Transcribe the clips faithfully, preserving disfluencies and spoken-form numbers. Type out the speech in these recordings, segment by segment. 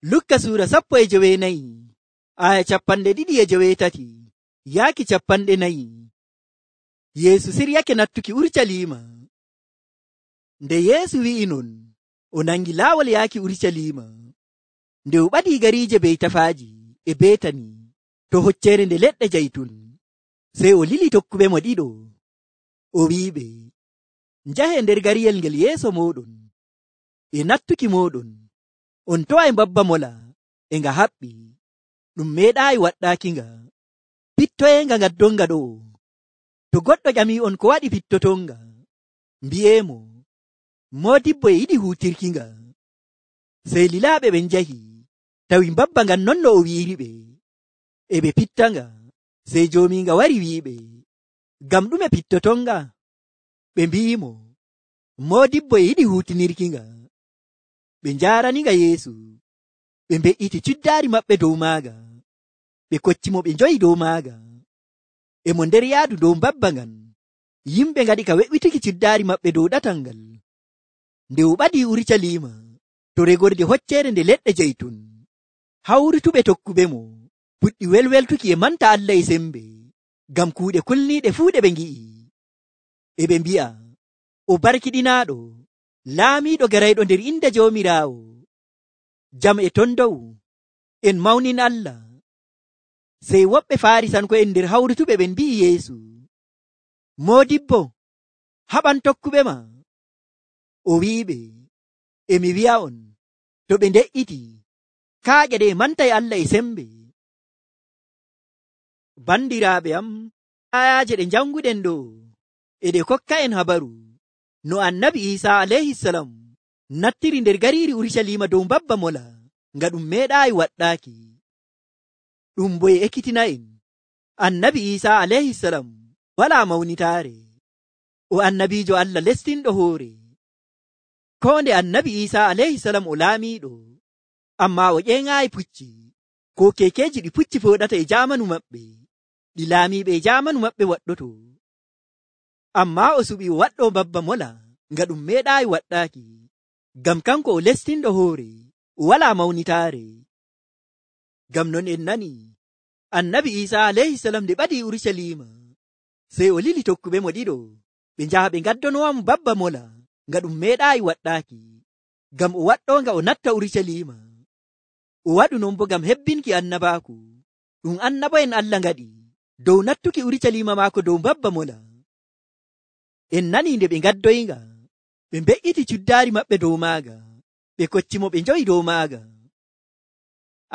Lukka suura sappo e joweenayi aya capanɗe ɗiɗi e joweetati yaaki capanɗe nayi. Yeesu siryake nattuki Urucaliima. Nde Yeesu wi'i non, o nangi laawol yaaki Urucaliima. Nde o ɓadii gariije Beytafaaji e Beetani to hocceere nde leɗɗe jaytun, sey o lili tokkuɓe mo ɗiɗo. O wi'iɓe, njahe nder gariyel ngel yeeso mooɗon. E nattuki mooɗon, on toway mbabba mola e nga haɓɓi, ɗum meeɗaayi waɗɗaakinga. Pittoyenga ngaddonga ɗo'o. To goɗɗo ƴamii'on ko waɗi pittotonga, mbi'eemo, moodibbo e yiɗi huutirkinga. Sey lilaaɓe ɓen njahi, tawi mbabba ngan non no o wi'iriɓe. E ɓe pittanga, sey joomiinga wari wi'iɓe, ngam ɗume pittotonga? Ɓe mbi'imo, moodibbo e yiɗi huutinirkinga. Ɓe njaaraninga Yeesu. Ɓe mbe'iti cuddaari maɓɓe dow maaga. Ɓe koccimo ɓe njoyi dow maaga. E mo nder yaadu dow mbabba ngan, yimɓe ngaɗi ka we'wituki cuddaari maɓɓe dow ɗatal ngal. Nde o ɓadii Urucaliima to regorde hocceere nde leɗɗe jaytun, hawrutuɓe tokkuɓe mo puɗɗi welweltuki e manta Allah e sembe, ngam kuuɗe kulniiɗe fuu ɗe ɓe ngi'i. E ɓe mbi'a, o barkiɗinaaɗo, laamiiɗo garayɗo nder inde Joomiraawo. Jam e ton dow, en mawnin Allah. Sey woɓɓe Faarisanko'en nder hawrutuɓe ɓen mbi'i Yeesu, moodibbo, haɓan tokkuɓe ma. O wi'iɓe, e mi wi'a'on, to ɓe nde'iti, kaaƴe ɗe mantay Allah e sembe. Bandiraaɓe am, ayaaje ɗe janguɗen ɗo e ɗe kokka en habaru no annabi Iisaa alayhisalam nattiri nder gariiri Urucaliima dow mbabba mola nga ɗum meeɗaayi waɗɗaaki. Ɗum bo e ekkitina en annabi Iisaa alayhisalam walaa mawnitaare, o annabiijo Allah lestinɗo hoore. Koo nde annabi Iisaa alayhisalam o laamiiɗo, ammaa o ƴeeŋaayi pucci ko keekeeji ɗi pucci fooɗata e jaamanu maɓɓe, ɗi laamiiɓe e jaamanu maɓɓe waɗɗoto. Ammaa o suɓi o waɗɗo mbabba mola nga ɗum meeɗaayi waɗɗaaki, ngam kanko o lestinɗo hoore, o walaa mawnitaare. Ngam non en nani annabi Iisaa alayhisalam nde ɓadii Urucaliima, sey o lili tokkuɓe mo ɗiɗo ɓe njaha ɓe ngaddonowamo mbabba mola nga ɗum meeɗaayi waɗɗaaki, ngam o waɗɗoonga o natta Urucaliima. O waɗu non bo ngam hebbinki annabaaku ɗum annabo'en Allah ngaɗi dow nattuki Urucaliima maako dow mbabba mola. En nani nde ɓe ngaddoyinga, ɓe mbe'iti cuddaari maɓɓe dow maaga, ɓe koccimo ɓe njoyi dow maaga.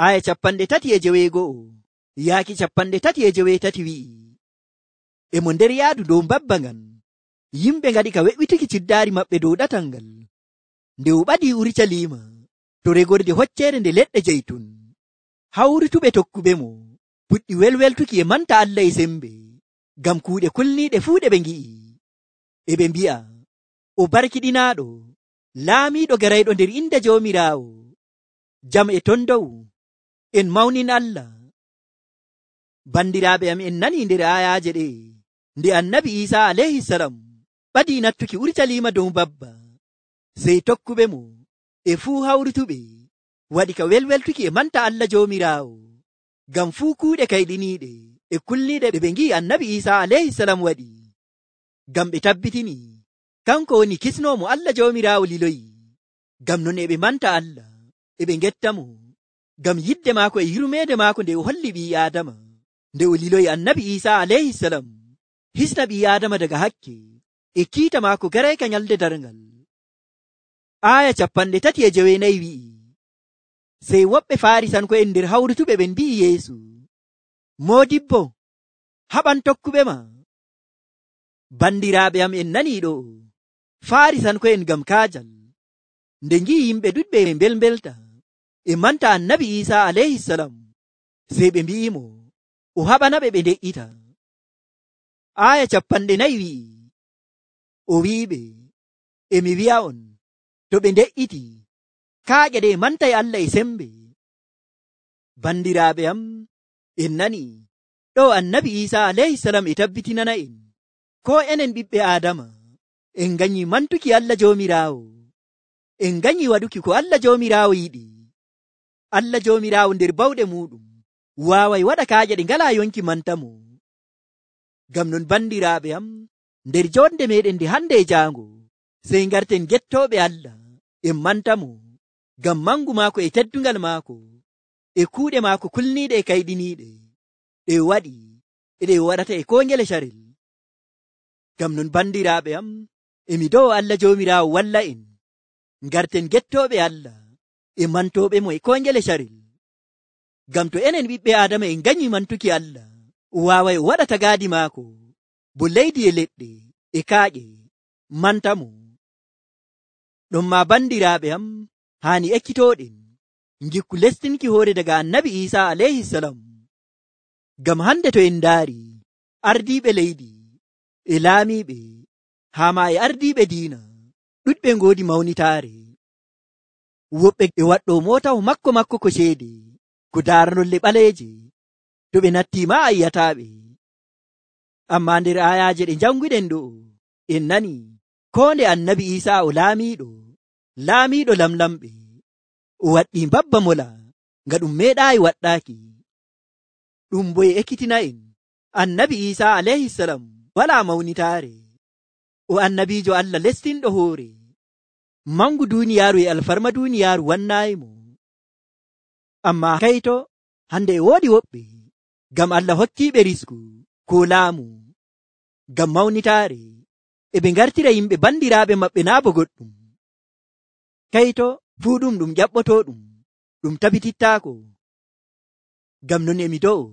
Aya capanɗe tati e joweego'o yaaki capanɗe tati e joweetati wi'i, e mo nder yaadu dow mbabba ngan, yimɓe ngaɗi ka we'wituki cuddaari maɓɓe dow ɗatal ngal. Nde o ɓadii Urucaliima to regorde hocceere nde leɗɗe jaytun, hawrutuɓe tokkuɓe mo puɗɗi welweltuki e manta Allah e sembe, ngam kuuɗe kulniiɗe fuu ɗe ɓe ngi'i. E ɓe mbi'a, o barkiɗinaaɗo, laamiiɗo garayɗo nder inde Joomiraawo. Jam e ton dow, en mawnin Allah. Bandiraaɓe am, en nani nder ayaaje ɗe nde annabi Iisaa alayhisalam ɓadii nattuki Urucaliima dow mbabba, sey tokkuɓe mo e fuu hawrutuɓe waɗi ka welweltuki e manta Allah Joomiraawo, ngam fuu kuuɗe kayɗiniiɗe e kulniiɗe ɗe ɓe ngi'i annabi Iisaa alayhisalam waɗi, ngam ɓe tabbitini kanko woni kisnoomo Allah Joomiraawo liloyi. Ngam non e ɓe manta Allah, e ɓe ngetta mo, ngam yidde maako e yurmeede maako nde o holli ɓii Aadama, nde o liloyi annabi Iisaa alayhisalam hisna ɓii Aadama daga hakke e kiita maako garayka nyalde darngal. Aya capanɗe tati e joweenayi wi'i, sey woɓɓe Faarisanko'en nder hawrutuɓe ɓen mbi'i Yeesu, moodibbo, haɓan tokkuɓe ma. Bandiraaɓe am, en nanii ɗo Faarisanko'en ngam kaajal nde ngi'i yimɓe ɗuɗɓe e mbelmbelta e manta annabi Iisaa alayhisalam, sey ɓe mbi'imo o haɓanaɓe ɓe nde'ita. Aya capanɗe nayi wi'i, o wi'iɓe, e mi wi'a'on, to ɓe nde'iti, kaaƴe ɗe mantay Allah e sembe. Bandiraaɓe am, en nani ɗo annabi Iisaa alayhisalam e tabbitinana en ko enen ɓiɓɓe Aadama en ganyi mantuki Allah Joomiraawo, en ganyi waɗuki ko Allah Joomiraawo yiɗi. Allah joomiraawo nder bawɗe muɗum waaway waɗa kaaƴe ɗe ngalaa yonki mantamo. Ngam non bandiraaɓe am, nder jonde meɗen nde hande e jaango, sey ngarten gettooɓe Allah en mantamo, ngam mangu maako e teddungal maako e kuuɗe maako kulniiɗe e kayɗiniiɗe ɗe waɗi e ɗe waɗata e koo ngele carel. Ngam non bandiraaɓe am, emi dow Allah joomiraawo walla en ngarten gettooɓe Allah e mantooɓe mo e koo ngele carel. Ngam to enen ɓiɓɓe Aadama en nganyii mantuki Allah, o waaway o waɗa tagaadi maako bo leydi e leɗɗe e kaaƴe mantamo. Ɗonma bandiraaɓe am, haani ekkitooɗen ngikku lestinki hoore daga annabi Iisaa alayhi salam. Ngam hande to en ndaari ardiiɓe leydi e laamiiɓe haa ma e ardiiɓe diina ɗuɗɓe ngoodi mawnitaare. Woɓɓe e waɗɗo mootawo makko makko ko ceede ko daaranolle ɓaleeje, to ɓe nattiima a yiyataaɓe. Amma nder ayaaje ɗe janguɗen ɗo en nani koo nde annabi Iisaa o laamiiɗo laamiiɗo lamlamɓe, o waɗɗi mbabba mola nga ɗum meeɗaayi waɗɗaaki. Ɗum bo e ekkitina en annabi Iisaa alayhi salam walaa mawnitaare, o annabiijo Allah lestinɗo hoore, mangu duuniyaaru e alfarma duuniyaaru wannaayimo. Amma kayto hande e woodi woɓɓe ngam Allah hokkiiɓe risku ko laamu ngam mawnitaare, e ɓe ngartira yimɓe bandiraaɓe maɓɓe naa bo goɗɗum. Kayto fuu ɗum ɗum ƴaɓɓotooɗum ɗum tabitittaako. Ngam non emi do'o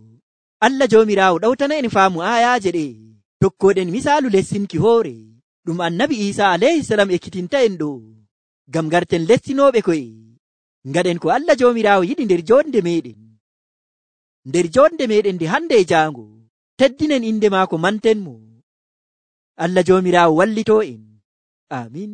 Allah joomiraawo ɗawtana en faamu ayaaje ɗe tokkooɗen misaalu lessinki hoore ɗum annabi Iisaa alayhi salam ekkitinta en ɗo, ngam ngarten lestinooɓe koye ngaɗen ko Allah joomiraawo yiɗi nder jonde meɗen. Nder jonde meɗen nde hande e jaango, teddinen inde maako manten mo. Allah joomiraawo wallitoo en. Amin.